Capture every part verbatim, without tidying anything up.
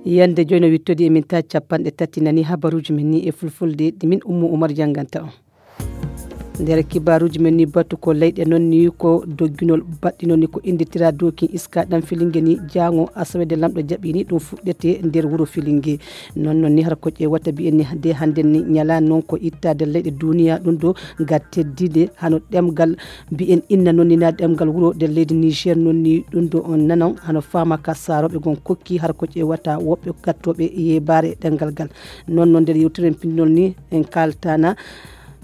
Yande joyno wittodi e min ta capanɗe tati nani habaruji men ni e fulfulde ɗi min Ummu Umar janganta on. Nder kibaruji men ni batu ko leyɗe noon ni ko dogginol baɗɗi noon ni ko innditira dokin iska ɗan filinge ni jaango asawe de lamɗo jaɓi ni ɗum fuɗɗete nder wuro filinge. Noon noon ni har ko ƴeewata mbiyen ni de hannden ni ñalaani noon ko ittaade leyɗe duniya ɗum ɗo ga teddide hano ɗemgal mbiyen inna noon ni na ɗemgal wuro nder leydi Niger noon ni ɗum ɗo on nanon hano faama ka saarooɓe gon kokki har ko ƴeewata woɓɓe gattooɓe yeebaare ɗemgal gal. Noon noon nder yewtiren pinnol ni en kaaltana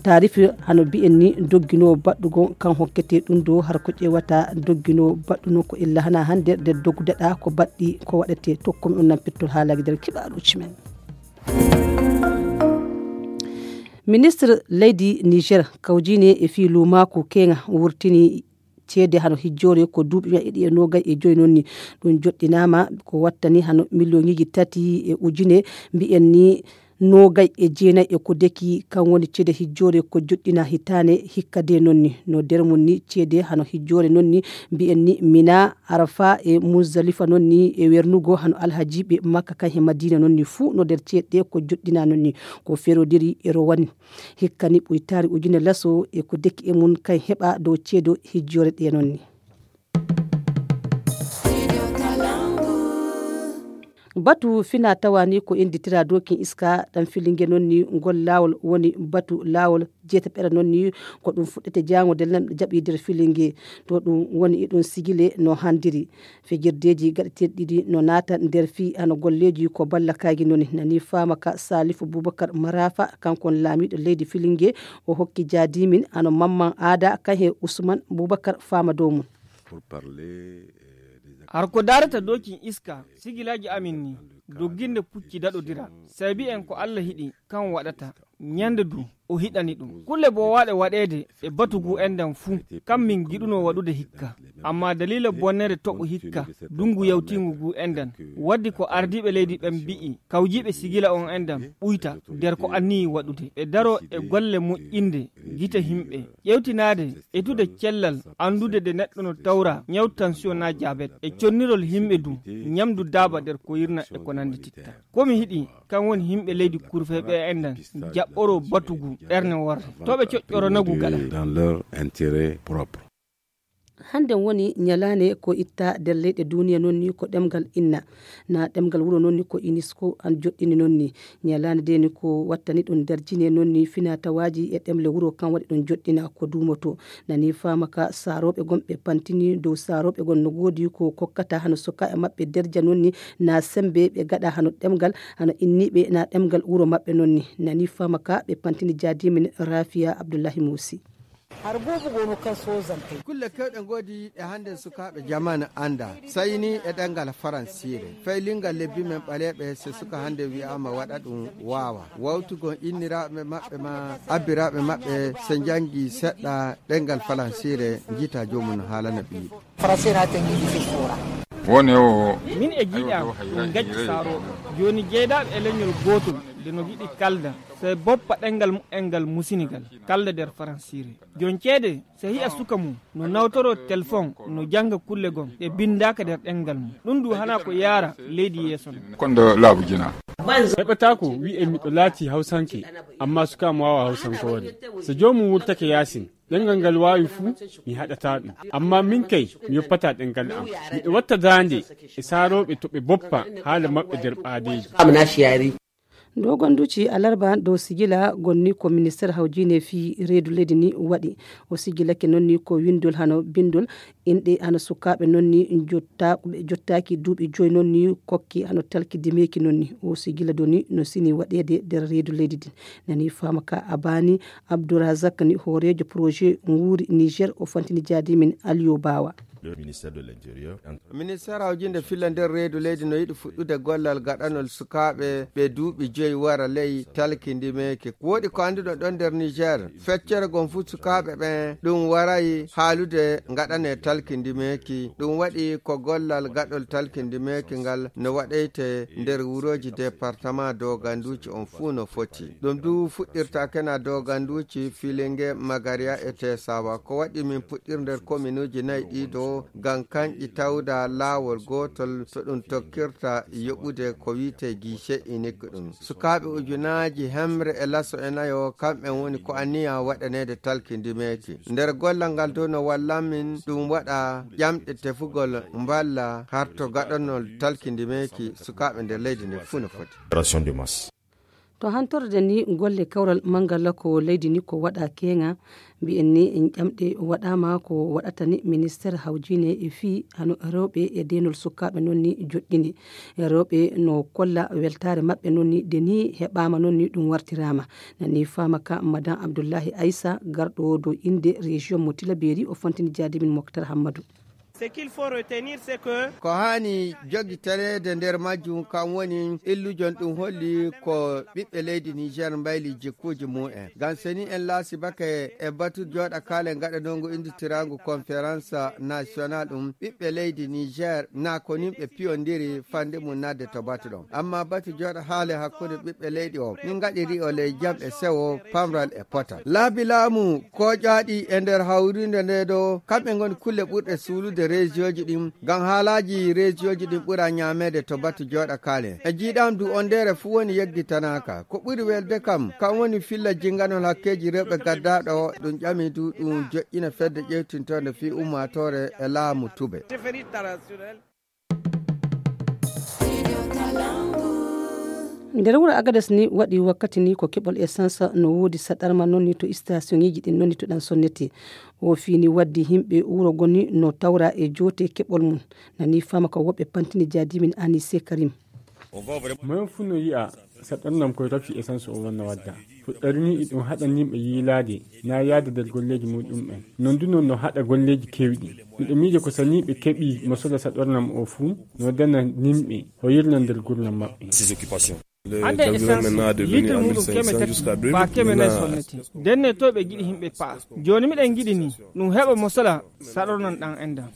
taarifi hano mbiyen ni dogginoowo baɗɗugo kan hokkete ɗum ɗo har ko ƴeewata dogginoowo baɗɗuno ko illa hana hannde nder doggudaɗa ko baɗɗi ko waɗete tokkomi on nan pittol haalaaji nder kibaaruuji men. Ministre leydi Niger kawjine e fii luumaaku keŋa wurtini ceede hano hijjoore ko duuɓi meɗe ɗiɗi e noogay e joyi noon ni ɗum joɗɗinaama ko wattani hano miliyoŋiji tati e ujine mbiyen ni noogay e jeenay e ko deki kan woni ceede hijjoore ko joɗɗina hitaane hikka de noon ni no nder mum ni ceede hano hijjoore noon ni mbiyen ni mina arafa e muzdalifa noon ni e wernugo hano alhajiiɓe makka kan he madina noon ni fuu no nder ceeɗe ko joɗɗina noon ni ko ferodiri e rowani hikka ni ɓuytaari ujune laso e ko deki e mum kan heɓa dow ceedo hijjoore ɗe noon ni. Batu fina tawa ni ko innditira dokin iska ɗan filinge noon ni ngol laawol woni batu laawol jeetaɓere noon ni ko ɗum fuɗɗete jaango de lamɗo jaɓi nder filinge to ɗum woni e ɗum sigile no handiri fijirdeeji gaɗeteeɗi ɗiɗi no naata nder fii hano golleeji ko ballakaaji noon ni nani faama ka salifu bubakar marafa kankon laamiiɗo leydi filinge o hokki jaadimin hano mamman aada kan he usman bubakar faama dow mum. Har ko darata dokin iska sigilaaji amin ni dogginde pucci daɗodira sabi en ko allah hiɗi kan waɗata ñande du o hiɗani ɗum kulle bowaaɗe waɗeede e batu ngu enɗan fuu kam min giɗuno waɗude hikka amma dalila bonnere toɓo hikka dungu yawtingu ngu enɗan waddi ko ardiiɓe leydi ɓen mbi'i kawjiiɓe sigila on enɗan ɓuyta nder ko anniyi waɗude ɓe daro e golle moƴƴinde gite himɓe ƴewtinaade etude cellal anndude de neɗɗo no tawra ñaw tension na jabet e connirol himɓe du ñamdu daaba nder ko yirna e ko nandi titta komi hiɗi kan woni himɓe leydi kurfeɓe enɗan jaɓɓoro batugu ɓerne worre to ɓe coƴƴoronagu gaɗa. Hannden woni ñalaande ko itta nder leyɗe duniya noon ni ko ɗemngal inna na ɗemngal wuro noon ni ko unesco an joɗɗini noon ni ñalaande de ni ko wattani ɗum nder jine noon ni fina tawaaji e ɗemle wuro kan waɗi ɗum joɗɗina ko duumoto nani faama ka saarooɓe gon ɓe pantini dow saarooɓe gon no goodi ko kokkata hano suka e maɓɓe derja noon ni na sembe ɓe gaɗa hano ɗemngal hano inniiɓe na ɗemngal wuro maɓɓe noon ni nani faama ka ɓe pantini jaadimin rafiya abdullahi muusi. Har buubu gono kan sozantey kulle kewɗe ngoodi ɗe hannde sukaaɓe jamaanu annda sayni e ɗemngal faransiire faylingal lebbi men ɓaleeɓe so suka hannde wi'aama waɗa ɗum waawa wawtugol inniraaɓe maɓɓe ma abbiraaɓe maɓɓe so njanngi seɗɗa ɗemngal faransiire njiita joomum no haalana ɓiyiɗo. Faransiire haa tengi ɗi fifora. Wone o min e jiiɗam ɗum gacci saarooɓe jooni jeydaaɓe e leñol gootol nde no giɗi kalda so e boppa ɗemngal muɓɓen ngal musinigal kalda nder faransiire. Jon ceede so hiya suka mum no nawtoro telefon no jannga kulle gon ɗe binndaaka nder ɗemngal mum ɗum du hana ko yaara leydi yeeso no. Kondo laabu jina. Heɓataako wi'e miɗo laati hawsanke amma suka am waawa hawsankoore so joomum wurtake yaasin ɗemngal ngal waawi fuu mi haɗata ɗum amma min kay mi yoppata ɗemngal am miɗo watta daande e saarooɓe to ɓe boppa haala maɓɓe nder ɓaadeeji. Dogonduci alarba dow sigila gonni ko minister hawjine fii reedu leydi ni waɗi o sigilake noon ni ko winndol hano binndol inɗe hano sukaaɓe noon ni jotta ɓe jottaaki duuɓi joyi noon ni kokki hano talki dimeeki noon ni o sigila doni no sini waɗeede nder reedu leydi din nani faama ka abani abdourazak ni hooreejo projet nguuri niger o fantini jaadimin aliyo baawa. Ministère de l'Intérieur. Ministère hawjinde filla nder reedu leydi no yiɗi fuɗɗude gollal gaɗanol sukaaɓe ɓe duuɓi joyi wara ley talki ndimeeki woɗi ko annduɗo ɗon nder niger feccere gon fuu sukaaɓe ɓen ɗum waray haalude gaɗane talki ndimeeki ɗum waɗi ko gollal gaɗol talki ndimeeki ngal no waɗeyte nder wurooji département doganduuji on fuu no foti ɗum du fuɗɗirta kena doganduuji filinge magaria e tesawa ko waɗi min puɗɗir nder kominuuji nayi ɗiɗo. Ngam kanƴi tawda laawol gootol to ɗum tokkirta yoɓude ko wiyetee guichet unique ɗum. Sukaaɓe ujunaaji hemre e laso e nayo, kamɓen woni ko anniya waɗaneede talkindimeeki. Nder gollal ngal dow no wallan min ɗum waɗa ƴamɗe tefugol mballa harto gaɗanol talkindimeeki sukaaɓe nder leydi ndi fuu no foti. To hantorde ni golle kawral manngal ko leydi ni ko waɗa keeŋa, mbiyen ni ƴamɗe waɗaama ko waɗata ni ministeer hawjiine e fii hano rewɓe e deenol sukaaɓe noon ni joɗɗini. Rewɓe no kolla weltaare maɓɓe noon ni de ni heɓaama noon ni ɗum wartiraama. Nani faama ka Madan Abdullahi Aysa garɗo dow innde région mo Tilaberi o fantini jaadimin Moktar Hammadu. Ko haani jogitaneede nder majjum kam woni illujon ɗum holli ko ɓiɓɓe leydi Niger mbayli jikkuuji mumen. Ngam seni en laasi bake e batu jooɗa kaale ngaɗanongu innditiraangu conférence national ɗum ɓiɓɓe leydi Niger na ko nimɓe piyondiri fande mum nadde to batu ɗon. Amma batu jooɗa haale hakkunde ɓiɓɓe leydi o min ngaɗiri o ley jam e sewo pamral e potal. Laabi laamu kooƴaaɗi e nder hawrinde nde ɗo kamɓe ngoni kulle ɓurɗe suulude région ji ɗin ngam haalaaji région ji ɗin ɓura ñaameede to batu jooɗa kaale. E jiiɗam du on ndere fuu woni yeggitanaaka. Ko ɓuri welde kam kam woni filla jinganol hakkeeji rewɓe gaddaaɗo ɗum ƴami du ɗum joƴƴina fedde ƴewtintoonde fii ummaatoore e laamu tube. Nder wuro Agades ni waɗi wakkati ni ko keɓol essence no woodi saɗarma noon ni to stationiji ɗin noon ni to ɗan sonnete. O fini waddi himɓe wuro goni no tawra e joote keɓol mum. Nani fama ko woɓɓe pantini jaadimin Anise Karim. Moyen fuu no yi'a saɗarnam koye rafi essence o wonna wadda. Fuɗɗarni iɗum haɗa nimɓe yiilaade na yaada nder golleeji muɗum'en. Non du non no haɗa golleeji keewɗi. Miɗo miije ko saniiɓe keɓi mo sola saɗornam o fuu no dana nimɓe hoyirna nder gurnam maɓɓe. Hannde essence litre muɗum keme tati ba keme nayi sonnete. Ndenne to ɓe giɗi himɓe pa'a. Jooni miɗen giɗi ni ɗum heɓa mo sola saɗornam ɗan endan.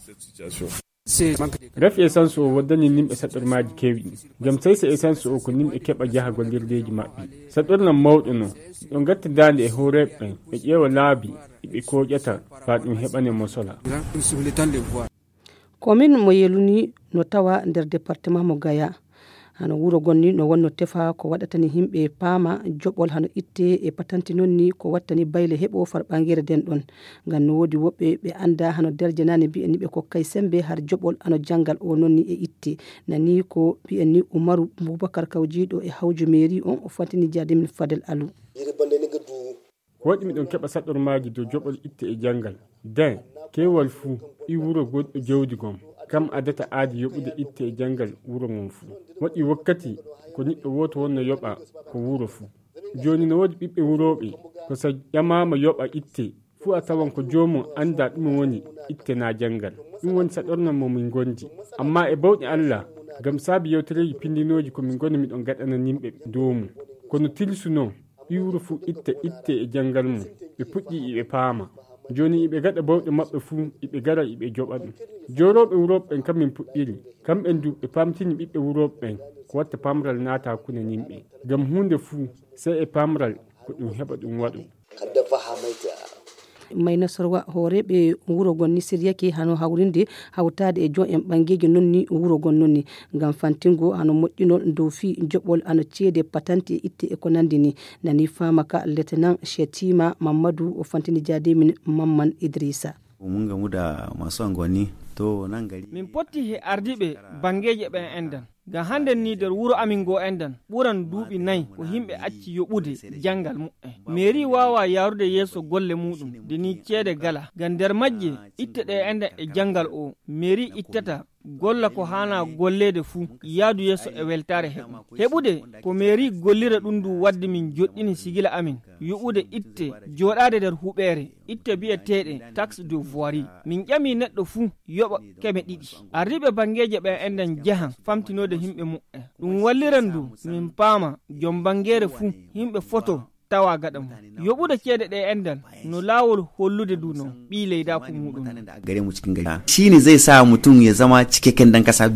Rafi essence o waddani nimɓe saɗormaaji keewɗi. Ngam saysa essence o ko nimɓe keɓa jaha gollirdeeji maɓɓe. Saɗornam mawɗo no ɗo ngatta daande e hooreeɓe ɓen ɓe ƴeewa laabi ɗi ɓe kooƴata faa ɗum heɓane mo sola. Komin mo yeluni no tawa nder département mo Gaya. Hano wuro gonni no wonno tefa ko waɗatani himɓe paama joɓol hano itte e patanti nonni ko wattani bayle heɓo far ɓangere den ɗon. Ngam no woodi woɓɓe ɓe annda hano darjanani mbi'en ni ɓe kokkay sembe har joɓol hano janngal o nonni e itte. Nani ko mbi'en ni Umaru Bubakar kawjiiɗo e hawju meeri on o fantini jaadimin Fadel Alu. Ko waɗi miɗon keɓa saɗormaaji dow joɓol itte e janngal. Den, keewal fuu, ɓii wuro goɗɗo jawdi gom, kam adata aadi yoɓude itte e janngal wuro ngon fuu. Waɗi wakkati ko niɗɗo wooto wonno yoɓa ko wuro fuu. Jooni no woodi ɓiɓɓe wurooɓe, ko so ƴamaama yoɓa itte fuu a tawan ko joomum anndaa ɗume woni itte naa janngal. Ɗum woni saɗornam mo min ngondi. Ammaa e bawɗe Alla, ngam saabi yewtereeji pinndinooji ko min ngoni miɗon gaɗana nimɓe doomu. Kono tilsu non, ɓii wuro fuu itta itte e janngal mum. Ɓe puɗɗii iɓe paama. Jooni iɓe gaɗa bawɗe maɓɓe fuu iɓe gara iɓe joɓa ɗum. Joorooɓe wurooɓe ɓen kam min puɗɗiri. Kamɓen du ɓe paamtini ɓiɓɓe wurooɓe ɓen ko watta paamral naata hakkunde nimɓe. Ngam huunde fuu sey e paamral ko ɗum heɓa ɗum waɗo. Mayna sorwa hooreeɓe wuro gon ni siryake hano hawrinde hawtaade e jon en ɓangeeji non ni wuro gon non ni ngam fantingo hano moƴƴinol dow fii joɓol hano ceede patanti e itte e ko nandi ni. Nani faama ka lieutenant Shetima Mammadu o fantini jaadimin Mamman Idrisa. Mun gamu da masu angonni to nan gari. Min potti he ardiiɓe bangeeje ɓen endan. Ngam hannden nii nder wuro amin ngoo enɗan ɓuran duuɓi nay ko yimɓe acci yoɓude janngal muɓɓen. Meerii waawaa yaarude yeeso golle muuɗum nde nii ceede galaa. Ngam nder majje itte ɗee enɗan e janngal oo, meerii ittata golla ko haanaa golleede fuu, yaadu yeeso e weltaare heɓa. Heɓude ko meerii gollira ɗum nduu waddi min joɗɗini sigila amin yoɓude itte jooɗaade nder huɓeere, itte biyeteeɗe taxe de voirie. Min ƴamii neɗɗo fuu yoɓa keme ɗiɗi. Ardiiɓe banngeeje ɓee enɗan njahan famtinoode yimɓe muɓɓen. Ɗum walliran du min paama jom banngeere fuu yimɓe foto tawa gaɗa mum. Yoɓude ceede ɗee enɗan no laawol hollude du non ɓii leydaaku muuɗum. Shi ne zai sa mutum ya zama cikakken ɗan ƙasa.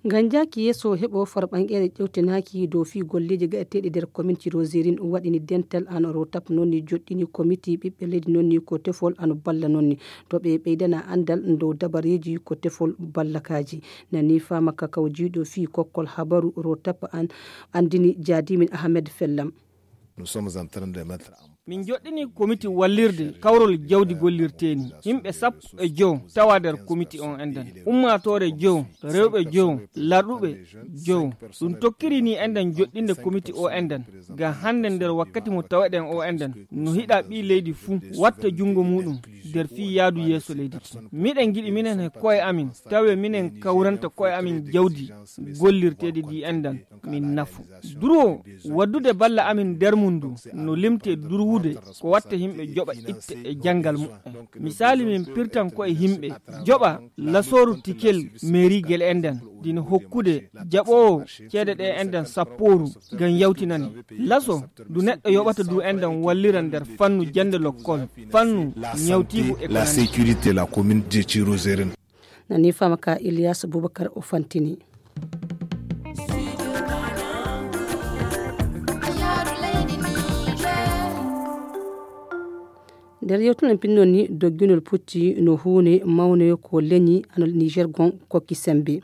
Ngam jaaki yeeso heɓo farɓanqeere ƴewtinaaki dow fii golleeji gaɗeteeɗi nder kominti Roserin waɗini dental ano Rotap noon ni joɗɗini komiti ɓiɓɓe leydi noon ni ko tefol ano balla noon ni to ɓe ɓeydana anndal dow dabareeji ko tefol ballakaaji. Nani faama ka kawjiiɗo fii kokkol habaru Rotap an anndini jaadimin Ahmed Fellam. Min joɗɗini komiti wallirde kawrol jawdi gollirteeni. Yimɓe sappo e jowo tawa nder komiti on enɗan. Ummaatoore jowo, rewɓe jowo, larɗuɓe jowo. Ɗum tokkiri ni enɗan joɗɗinde komiti o enɗan. Ngam hannde nder wakkati mo taweɗen o enɗan. No hiɗa ɓii leydi fuu watta junngo muuɗum nder fii yaadu yeeso leydi ki. Miɗen ngiɗi minen he ko'e amin tawe minen kawranta ko'e amin jawdi gollirteedi ndi enɗan. Min nafu. Duro waddude balla amin nder mum ndu no limte durwude ko watta yimɓe joɓa itte e janngal muɓɓen. Misaali min pirtan ko e yimɓe joɓa lasooru tikel meerigel enɗan dina hokkude jaɓoowo ceede ɗe enɗan sappooru ngam yawtinani. Laso ndu neɗɗo yoɓata du enɗan wallira nder fannu jannde lokkol, fannu ñawtiigu e ko nandi. Nani faama ka Ilyas Boubacar o fantini. Nder yewtuno pinnon ni dogginol pucci no huunde mawne ko leñi ano Niger gon kokki sembe.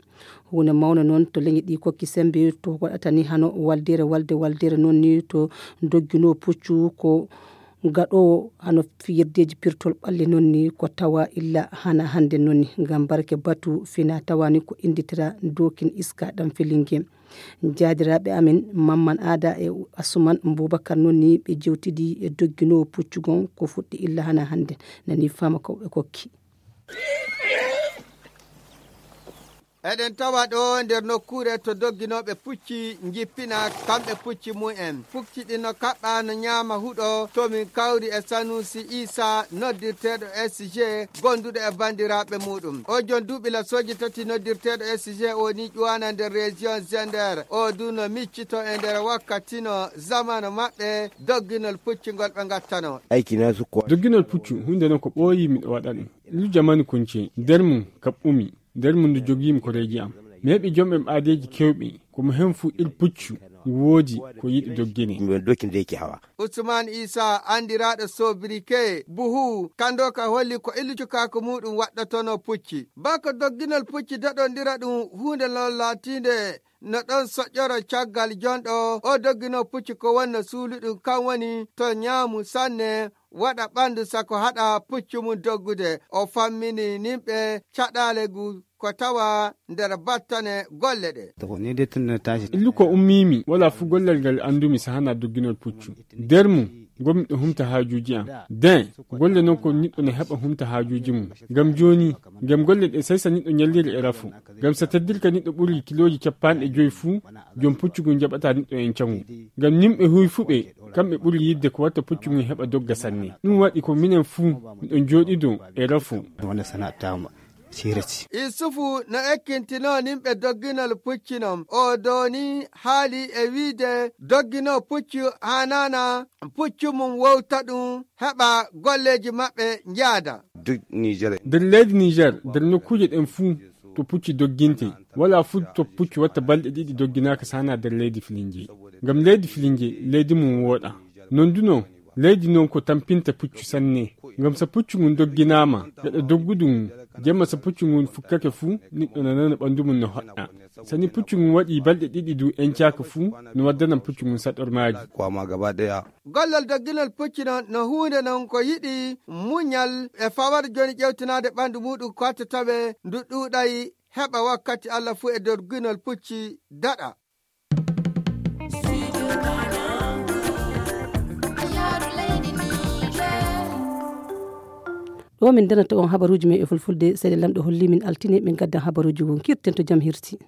Huunde mawne noon to leñi ɗi kokki sembe to waɗata ni hano waldere walde waldere noon ni to doggino puccu ko gaɗoowo hano fiyirdeeji pirtol ɓalli noon ni ko tawa illa hana hannde noon ni ngam barke batu fina tawa ni ko innditira dokin iska ɗam filinge. Jaadiraaɓe amin Mamman Aada e Asuman Bubakar noon ni ɓe jewtidi e dogginoowo puccugon ko fuɗɗi illa hana hannde nani fama ko ɓe kokki. Eɗen tawa ɗo nder nokkuure to dogginooɓe pucci njippina kamɓe pucci mum en. Pucci ɗi no kaɓɓa no ñaama huɗo to min kawri e Sanusi Isa noddirteeɗo S G gonduɗo e banndiraaɓe muɗum. O jon duuɓi lasooji tati noddirteeɗo S G o ni ƴuwana nder région Zender. O du no miccito e nder wakkati no zamano maɓɓe dogginol pucci ngol ɓe ngattano. Dogginol puccu huunde non ko ɓooyi miɗo waɗa ɗum. Lu jamanu kunce nder mum kaɓɓumi. Nder mum ndu jogiimi koreeji am. Mi heɓi jom en aadeeji kewɓe ko mo hen fuu ir puccu ngu woodi ko yiɗi doggine. Usman Isa anndiraaɗo Sobrike Buhu kanndo ka holli ko illu cukaaku muɗum waɗɗotono pucci. Bako dogginol pucci daɗondira ɗum huunde non laatiinde no ɗon soƴƴoro caggal jonɗo o doggino pucci ko wonno suuluɗum kan woni to ñaamu sanne waɗa ɓanndu sako haɗa puccu mum doggude. O fammini nimɓe caɗaale ngu ko tawa nder battane golle ɗe. Illu ko ummiimi wala fuu gollal ngal anndumi sahana dogginol puccu. Nder mum ngonmi ɗo humta haajuuji am. Den golle non ko niɗɗo ne heɓa humta haajuuji mum. Ngam jooni ngam golle ɗe saysa niɗɗo ñalliri e rafo. Ngam sa teddirka niɗɗo ɓuri kilooji capanɗe joyi fuu jom puccu ngun jaɓata niɗɗo en cangu. Ngam nimɓe huyfuɓe kamɓe ɓuri yidde ko watta puccu ngun heɓa dogga sanne. Ɗum waɗi ko minen fuu miɗo jooɗido e rafo. Isufu no ekkintinoo nimɓe dogginol pucci non o dooni haali e wiide dogginoo puccu haanaana puccu mum wowta ɗum heɓa golleeji maɓɓe njaada. Nder leydi Niger nder nokkuuje ɗen fuu to pucci dogginte wala fuu to pucci watta balɗe ɗiɗi dogginaaka saana nder leydi filinje. Ngam leydi filinje leydi mum wooɗa. Non du non leydi non ko tampinta puccu sanne. Ngam sa puccu ngun dogginaama gaɗa doggudu ngun jemma sa puccu ngun fukkake fuu niɗɗo nanana ɓanndu mum no hoɗɗa. Sani puccu ngun waɗi balɗe ɗiɗi du encaaka fuu no waddanan puccu ngun saɗormaaji. Gollal dogginol pucci non no huunde non ko yiɗi muñal e fawar jooni ƴewtinaade ɓanndu muɗum ko hatta tawe ndu ɗuuɗay heɓa wakkati Allah fuu e dogginol pucci daɗa. Ɗo min ndanata on habaruuji men e fulfulde seeɗa lamɗo holli min altine min gaddan habaruuji ngun kirten to jam hirti.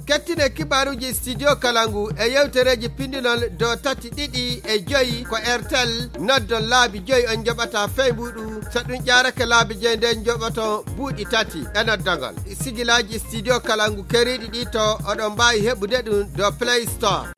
Kettine kibaaruuji studio kalangu e yewtereeji pindinol do tati ɗiɗi e joyi ko airtel noddon laabi joyi on njoɓata feybuɗu so ɗum ƴaarake laabi joyi nden njoɓoton buuɗi tati e noddogol. Sigilaaji studio kalangu keriiɗi ɗi to oɗon mbaawi heɓude ɗum do play store.